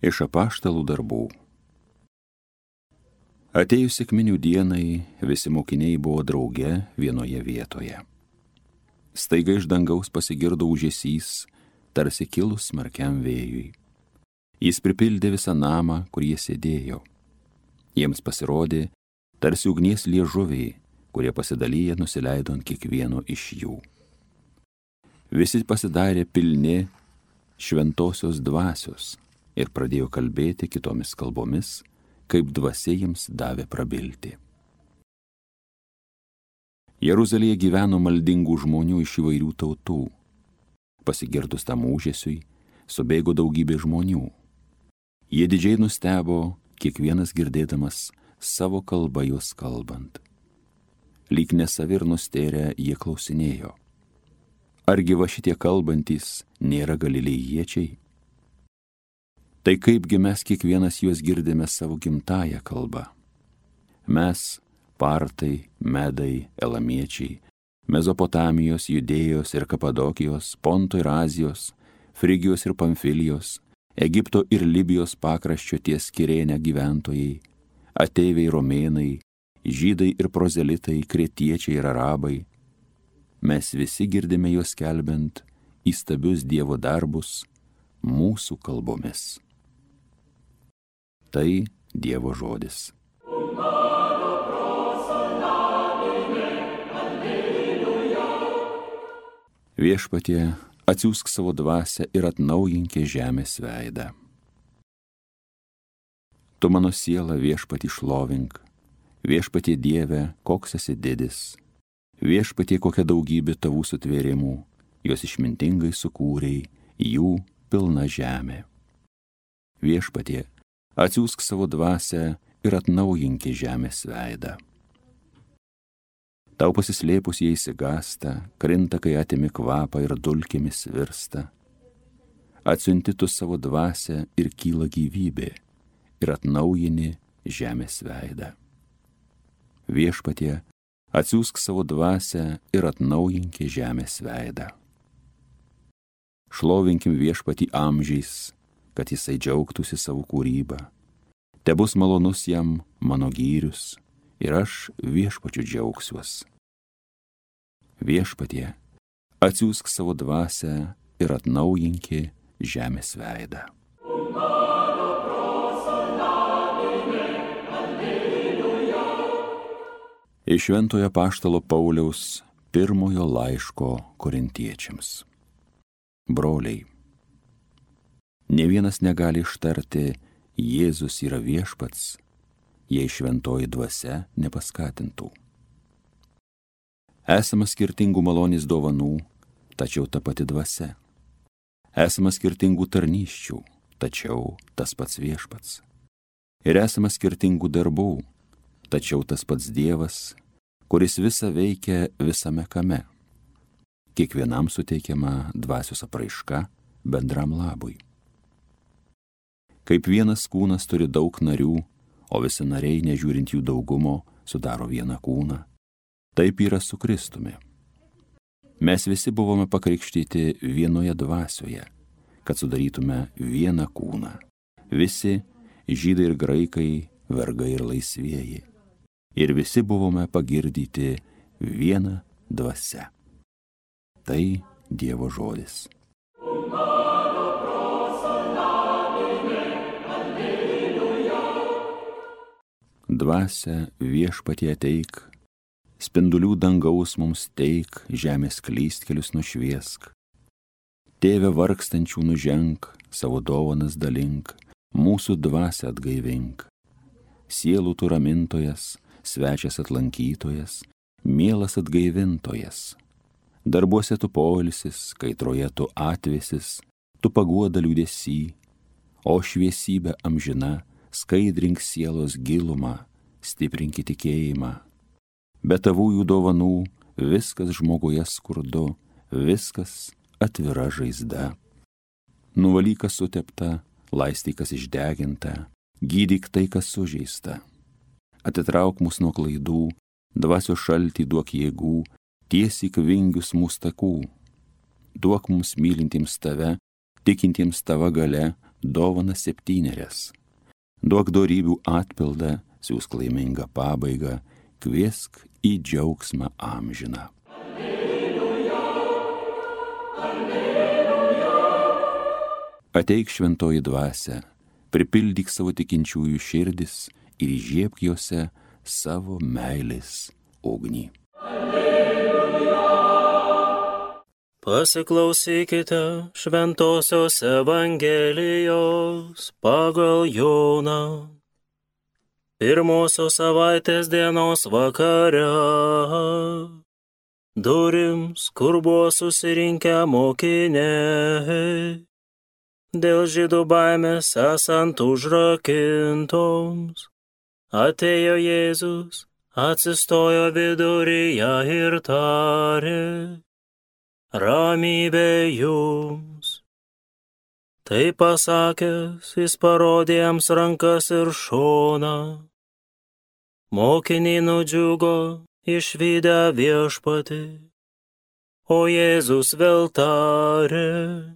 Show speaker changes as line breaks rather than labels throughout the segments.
Iš apaštalų darbų. Atėjus sekminių dienai, visi mokiniai buvo drauge vienoje vietoje. Staiga iš dangaus pasigirdo ūžesys, tarsi kilus smarkiam vėjui. Jis pripildė visą namą, kur jie sėdėjo. Jiems pasirodė, tarsi ugnies liežuviai, kurie pasidalyję nusileido ant kiekvieno iš jų. Visi pasidarė pilni šventosios dvasios ir pradėjo kalbėti kitomis kalbomis, kaip dvasia jiems davė prabilti. Jeruzalėje gyveno maldingų žmonių iš įvairių tautų. Pasigirdus tam ūžesiui, subėgo daugybė žmonių. Jie didžiai nustebo, kiekvienas girdėdamas savo kalbą juos kalbant. Lyg nesavi ir nustėrę jie klausinėjo: argi va šitie kalbantys nėra galilėjiečiai? Tai kaipgi mes kiekvienas juos girdime savo gimtąją kalbą? Mes, partai, medai, elamiečiai, Mezopotamijos, Judėjos ir Kapadokijos, Ponto ir Azijos, Frigijos ir Pamfilijos, Egipto ir Libijos pakraščio ties Kirėne gyventojai, ateiviai romėnai, žydai ir prozelitai, kretiečiai ir arabai. Mes visi girdime juos skelbiant įstabius Dievo darbus mūsų kalbomis. Tai Dievo žodis. Viešpatie, atsiųsk savo dvasią ir atnaujink žemės veidą. Tu mano sielą, Viešpatie, šlovink. Viešpatie Dieve, koks esi didis. Viešpatie, kokia daugybė tavų sutvėrimų, juos išmintingai sukūrei, jų pilna žemė. Viešpatie, atsiųsk savo dvasią ir atnaujink žemės veidą. Tau pasislėpus jie išsigąsta, krinta, kai atimi kvapą ir dulkėmis virsta. Atsiunti tu savo dvasią ir kyla gyvybė, ir atnaujini žemės veidą. Viešpatie, atsiųsk savo dvasią ir atnaujink žemės veidą. Šlovinkim Viešpatį amžiais, kad jisai džiaugtųsi savo kūrybą. Tebus malonus jam mano gyrius, ir aš Viešpačiu džiaugsiuos. Viešpatie, atsiųsk savo dvasią ir atnaujink žemės veidą. Iš Šventojo apaštalo Pauliaus pirmojo laiško Korintiečiams. Broliai, nė vienas negali ištarti Jėzus yra viešpats, jei šventoji dvasia nepaskatintų. Esama skirtingų malonės dovanų, tačiau ta pati dvasia. Esama skirtingų tarnysčių, tačiau tas pats viešpats. Ir esama skirtingų darbų, tačiau tas pats Dievas, kuris visa veikia visame kame. Kiekvienam suteikiama dvasios apraiška bendram labui. Kaip vienas kūnas turi daug narių, o visi nariai, nežiūrint jų daugumo, sudaro vieną kūną, taip yra su Kristumi. Mes visi buvome pakrikštyti vienoje dvasioje, kad sudarytume vieną kūną. Visi, žydai ir graikai, vergai ir laisvieji. Ir visi buvome pagirdyti vieną dvasią. Tai Dievo žodis. Dvasia Viešpatie ateik, spindulių dangaus mums teik, žemės klystkelius nušviesk. Tėve vargstančių nuženk, savo dovanas dalink, mūsų dvasią atgaivink. Sielų tu ramintojas, svečias atlankytojas, mielas atgaivintojas. Darbuose tu poilsis, kaitroje tu atvėsis, tu paguoda liūdesy, o šviesybė amžina, skaidrink sielos gilumą, stiprink tikėjimą. Be tavųjų dovanų viskas žmoguje skurdu, viskas atvira žaizda. Nuvalyk, kas sutepta, laistyk, kas išdeginta, gydyk tai, kas sužeista. Atitrauk mus nuo klaidų, dvasios šaltį duok jėgų, tiesyk vingius mūsų takų. Duok mums mylintiems tave, tikintiems tava galia, dovana 7. Duok dorybių atpildą, siūsk laimingą pabaigą, kviesk į džiaugsmą amžiną. Alleluja, alleluja. Ateik šventoji dvasia, pripildyk savo tikinčiųjų širdis ir įžiebk jose savo meilės ugnį.
Pasiklausykite šventosios Evangelijos pagal Joną. Pirmosios savaitės dienos vakare durims, kur buvo susirinkę mokiniai, dėl žydų baimės esant užrakintoms, atėjo Jėzus, atsistojo viduryje ir tarė: ramybė jums. Tai pasakęs, jis parodė jiems rankas ir šoną. Mokiniai nudžiugo išvydę viešpatį, o Jėzus vėl tarė: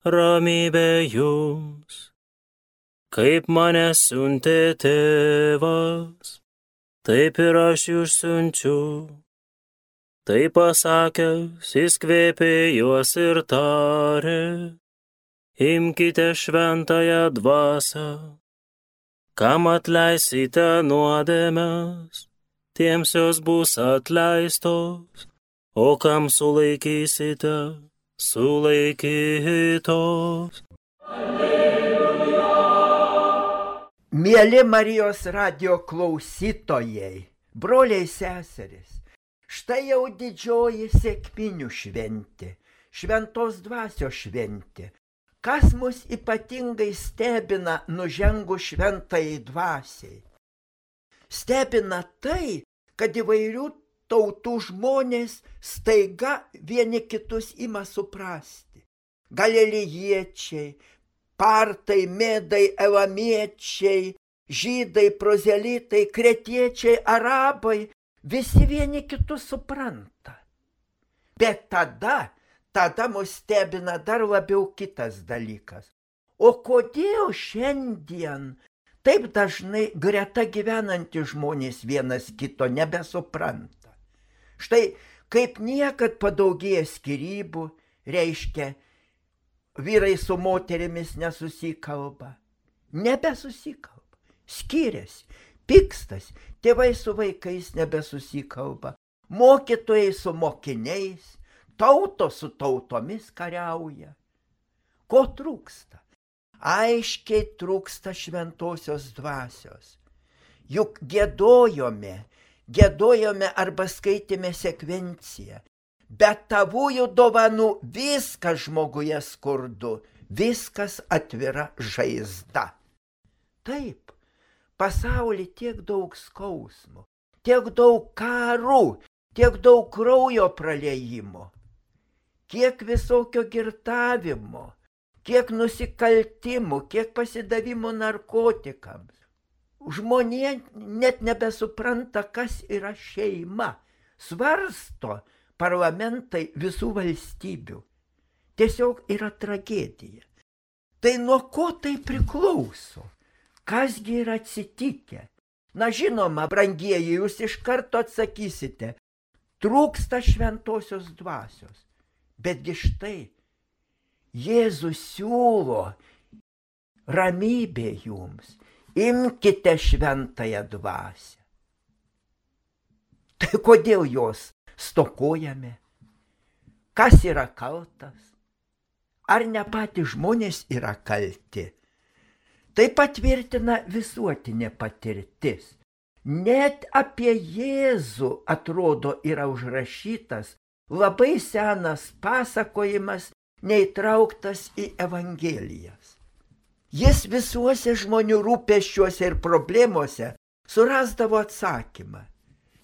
ramybė jums. Kaip mane siuntė tėvas, taip ir aš jūs siunčiu. Tai pasakęs, jis kvėpė juos ir tarė: imkite šventąją dvasią. Kam atleisite nuodėmes, tiems jos bus atleistos, o kam sulaikysite, sulaikytos.
Alleluja. Mieli Marijos radijo klausytojai, broliai seserys, štai jau didžioji sekminių šventė, šventos dvasios šventė. Kas mus ypatingai stebina nužengus šventajai dvasiai? Stebina tai, kad įvairių tautų žmonės staiga vieni kitus ima suprasti. Galilėjiečiai, partai, medai, elamiečiai, žydai, prozelitai, kretiečiai, arabai, visi vieni kitus supranta. Bet tada mus stebina dar labiau kitas dalykas. O kodėl šiandien taip dažnai greta gyvenantys žmonės vienas kito nebesupranta? Štai kaip niekad padaugėja skyrybų, reiškia, vyrai su moterimis nesusikalba, nebesusikalba, skiriasi, pykstas, tėvai su vaikais nebesusikalba, mokytojai su mokiniais, tautos su tautomis kariauja. Ko trūksta? Aiškiai trūksta šventosios dvasios. Juk giedojome arba skaitėme sekvenciją. Bet tavųjų dovanų viskas žmoguje skurdu, viskas atvira žaizda. Taip, pasaulyje tiek daug skausmų, tiek daug karų, tiek daug kraujo praliejimo, kiek visokio girtavimo, kiek nusikaltimų, kiek pasidavimo narkotikams. Žmonė net nebesupranta, kas yra šeima. Svarsto parlamentai visų valstybių. Tiesiog yra tragedija. Tai nuo ko tai priklauso? Kasgi yra atsitikę? Na žinoma, brangieji, jūs iš karto atsakysite, trūksta šventosios dvasios. Betgi štai, Jėzus siūlo ramybė jums, imkite šventąją dvasią. Tai kodėl jos stokojame? Kas yra kaltas? Ar ne patys žmonės yra kalti? Tai patvirtina visuotinė patirtis. Net apie Jėzų, atrodo, yra užrašytas labai senas pasakojimas, neįtrauktas į Evangelijas. Jis visuose žmonių rūpesčiuose ir problemuose surasdavo atsakymą.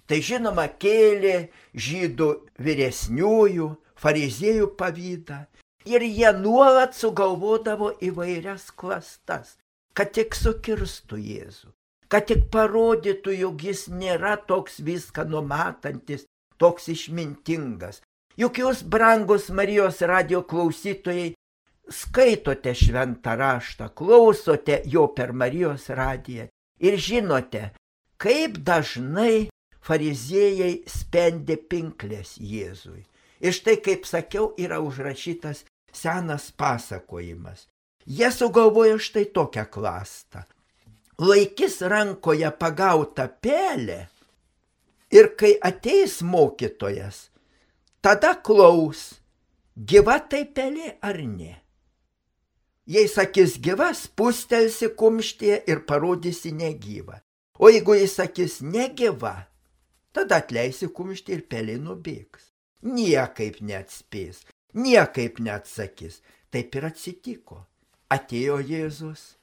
Tai žinoma kėlė žydų vyresniųjų, fariziejų pavydą ir jie nuolat sugalvodavo įvairias klastas, kad tik sukirstų Jėzų, kad tik parodytų, jog jis nėra toks viską numatantis, toks išmintingas. Juk jūs, brangus Marijos radijo klausytojai, skaitote šventą raštą, klausote jo per Marijos radiją ir žinote, kaip dažnai fariziejai spendė pinklės Jėzui. Ir štai, kaip sakiau, yra užrašytas senas pasakojimas. Jie sugalvojo štai tokią klastą. Laikys rankoje pagautą pelę ir kai ateis mokytojas, tada klaus, gyva tai pelė ar ne. Jei sakys gyva, spustelsi kumštyje ir parodysi negyvą. O jeigu jis sakys negyva, tada atleisi kumštį ir pelė nubėgs. Niekaip neatspės, niekaip neatsakys. Taip ir atsitiko. Atėjo Jėzus.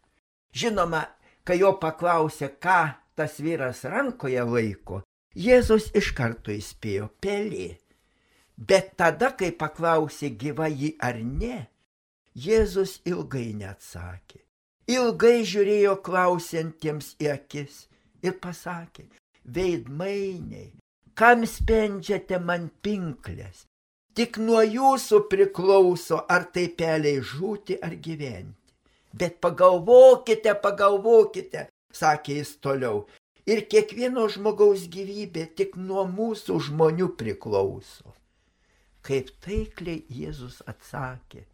Žinoma, kai jo paklausė, ką tas vyras rankoje laiko, Jėzus iš karto įspėjo pelė. Bet tada, kai paklausė gyva ji ar ne, Jėzus ilgai neatsakė. Ilgai žiūrėjo klausiantiems į akis ir pasakė, veidmainiai, kam spendžiate man pinklės? Tik nuo jūsų priklauso, ar tai peliai žūti ar gyventi. Bet pagalvokite, pagalvokite, sakė jis toliau, ir kiekvieno žmogaus gyvybė tik nuo mūsų žmonių priklauso. Kaip taikliai Jėzus atsakė,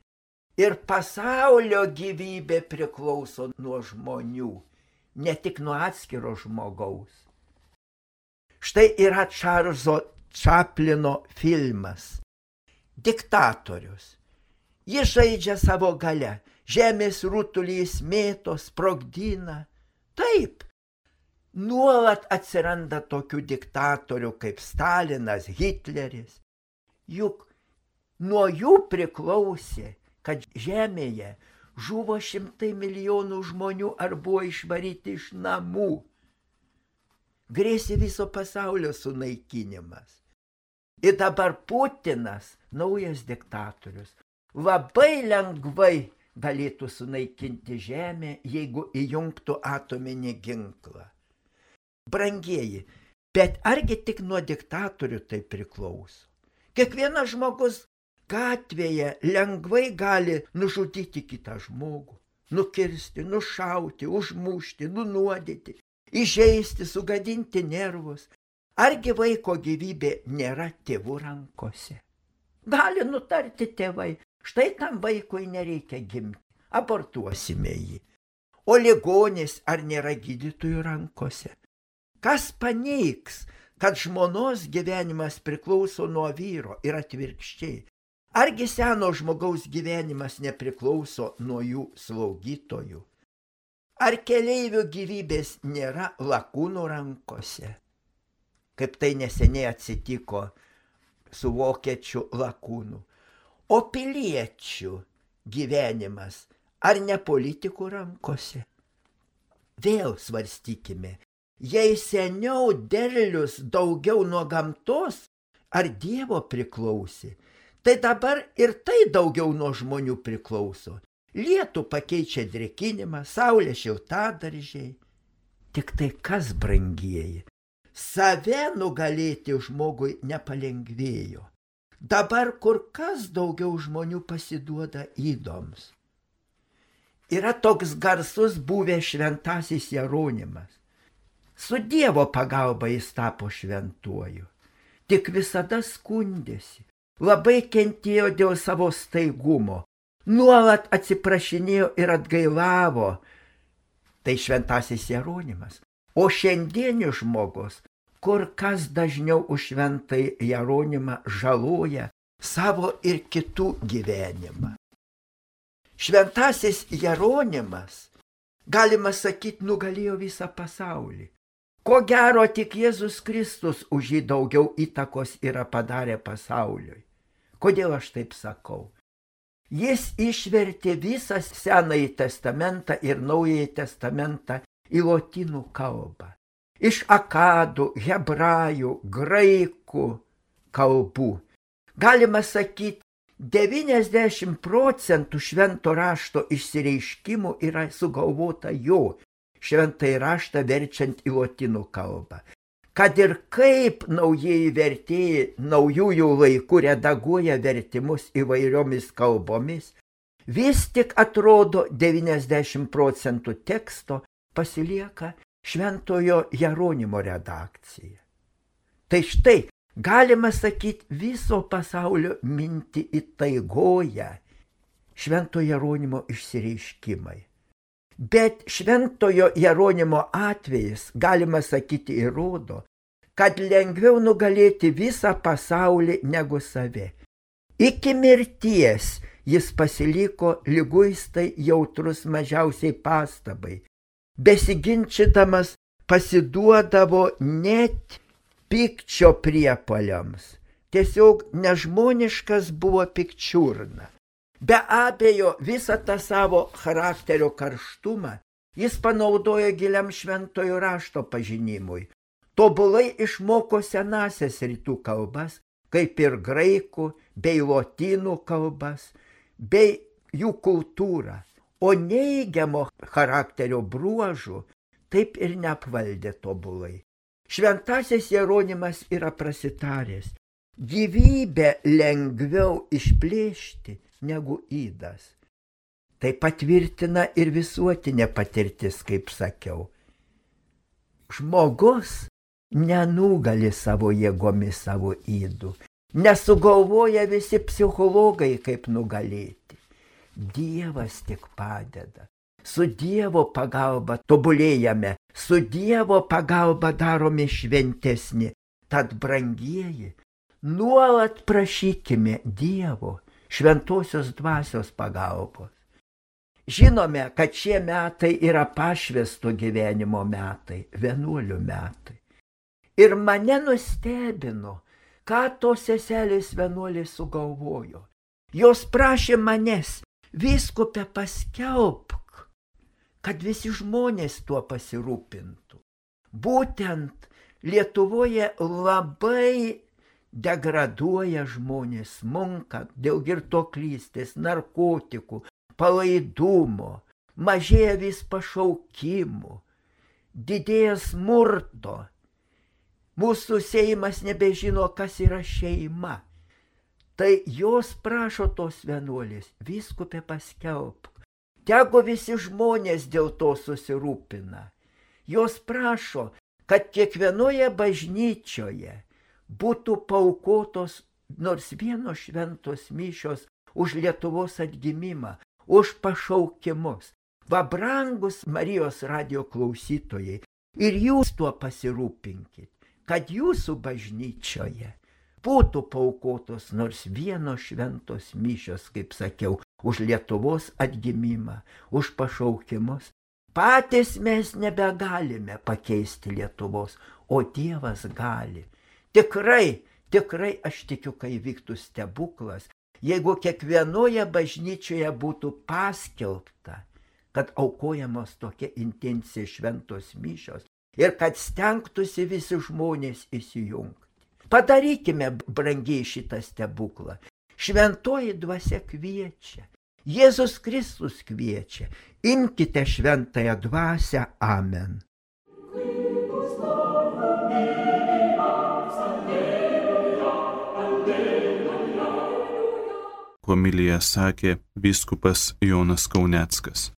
ir pasaulio gyvybė priklauso nuo žmonių, ne tik nuo atskiro žmogaus. Štai yra Čarlzo Čaplino filmas Diktatorius. Jis žaidžia savo galia, žemės rutulys mėto, sprogdina. Taip, nuolat atsiranda tokių diktatorių kaip Stalinas, Hitleris. Juk nuo jų priklausė, kad žemėje žuvo 100 milijonų žmonių ar buvo išvaryti iš namų. Grėsė viso pasaulio sunaikinimas. Ir dabar Putinas, naujas diktatorius, labai lengvai galėtų sunaikinti žemę, jeigu įjungtų atominį ginklą. Brangieji, bet argi tik nuo diktatorių tai priklauso? Kiekvienas žmogus gatvėje lengvai gali nužudyti kitą žmogų, nukirsti, nušauti, užmušti, nunuodyti, įžeisti, sugadinti nervus. Argi vaiko gyvybė nėra tėvų rankose? Gali nutarti tėvai, štai tam vaikui nereikia gimti, abortuosime jį. O ligonis ar nėra gydytojų rankose? Kas paneigs, kad žmonos gyvenimas priklauso nuo vyro ir atvirkščiai? Argi seno žmogaus gyvenimas nepriklauso nuo jų slaugytojų? Ar keleivių gyvybės nėra lakūnų rankose? Kaip tai neseniai atsitiko su vokiečių lakūnu. O piliečių gyvenimas ar ne politikų rankose? Vėl svarstykime, jei seniau derlius daugiau nuo gamtos ar Dievo priklausė, tai dabar ir tai daugiau nuo žmonių priklauso. Lietų pakeičia drėkinimą, saulė šiltadaržiai. Tik tai kas, brangieji? Save nugalėti žmogui nepalengvėjo. Dabar kur kas daugiau žmonių pasiduoda ydoms. Yra toks garsus buvęs šventasis Jeronimas. Su Dievo pagalba jis tapo šventuoju. Tik visada skundėsi, labai kentėjo dėl savo staigumo, nuolat atsiprašinėjo ir atgailavo. Tai šventasis Jeronimas. O šiandienis žmogus kur kas dažniau už šventąjį Jeronimą žaloja savo ir kitų gyvenimą. Šventasis Jeronimas, galima sakyti, nugalėjo visą pasaulį. Ko gero tik Jėzus Kristus už jį daugiau įtakos yra padarę pasauliui. Kodėl aš taip sakau? Jis išvertė visą Senąjį testamentą ir Naująjį testamentą į lotynų kalbą. Iš akadų, hebrajų, graikų kalbų. Galima sakyti, 90% švento rašto išsireiškimų yra sugalvota jo, šventąjį raštą verčiant į lotynų kalbą. Kad ir kaip naujieji vertėjai naujųjų laikų redaguoja vertimus įvairiomis kalbomis, Vis tik atrodo 90% teksto pasilieka Šventojo Jeronimo redakcija. Tai štai, galima sakyti, viso pasaulio mintį įtaigoja Šventojo Jeronimo išsireiškimai. Bet Šventojo Jeronimo atvejis, galima sakyti, įrodo, kad lengviau nugalėti visą pasaulį negu save. Iki mirties jis pasiliko liguistai jautrus mažiausiai pastabai. Besiginčydamas pasiduodavo net pykčio priepuoliams. Tiesiog nežmoniškas buvo pikčiurna. Be abejo, visą tą savo charakterio karštumą jis panaudojo giliam šventojo rašto pažinimui. Tobulai išmoko senąsias rytų kalbas, kaip ir graikų bei lotynų kalbas, bei jų kultūrą, o neigiamo charakterio bruožų taip ir neapvaldė tobulai. Šventasis Jeronimas yra prasitaręs: gyvybę lengviau išplėšti negu ydas. Tai patvirtina ir visuotinė patirtis, kaip sakiau. Žmogus nenugali savo jėgomis savo ydų. Nesugalvoja visi psichologai, kaip nugalėti. Dievas tik padeda. Su Dievo pagalba tobulėjame, su Dievo pagalba daromi šventesni. Tad, brangieji, nuolat prašykime Dievo šventosios dvasios pagalbos. Žinome, kad šie metai yra pašvęsto gyvenimo metai, vienuolių metai. Ir mane nustebino, ką tos seselės vienuolės sugalvojo. Jos prašė manęs: vyskupe, paskelbk, kad visi žmonės tuo pasirūpintų. Būtent Lietuvoje labai degraduoja žmonės, smunka dėl girtuoklystės, narkotikų, palaidumo, mažėja vis pašaukimų, didėja smurto. Mūsų Seimas nebežino, kas yra šeima. Tai jos prašo tos vienuolės: vyskupe, paskelbk. Tegu visi žmonės dėl to susirūpina. Jos prašo, kad kiekvienoje bažnyčioje būtų paaukotos nors vienos šventos mišios už Lietuvos atgimimą, už pašaukimus. Va, brangus Marijos radijo klausytojai, ir jūs tuo pasirūpinkit, kad jūsų bažnyčioje būtų paaukotos nors vienos šventos mišios, kaip sakiau, už Lietuvos atgimimą, už pašaukimus. Patys mes nebegalime pakeisti Lietuvos, o Dievas gali. Tikrai, aš tikiu, kai vyktų stebuklas, jeigu kiekvienoje bažnyčioje būtų paskelbta, kad aukojamos tokia intencija šventos mišios ir kad stengtųsi visi žmonės įsijungti. Padarykime, brangiai, šitą stebuklą. Šventoji dvasia kviečia, Jėzus Kristus kviečia. Imkite šventąją dvasią. Amen.
Homiliją sakė vyskupas Jonas Kauneckas.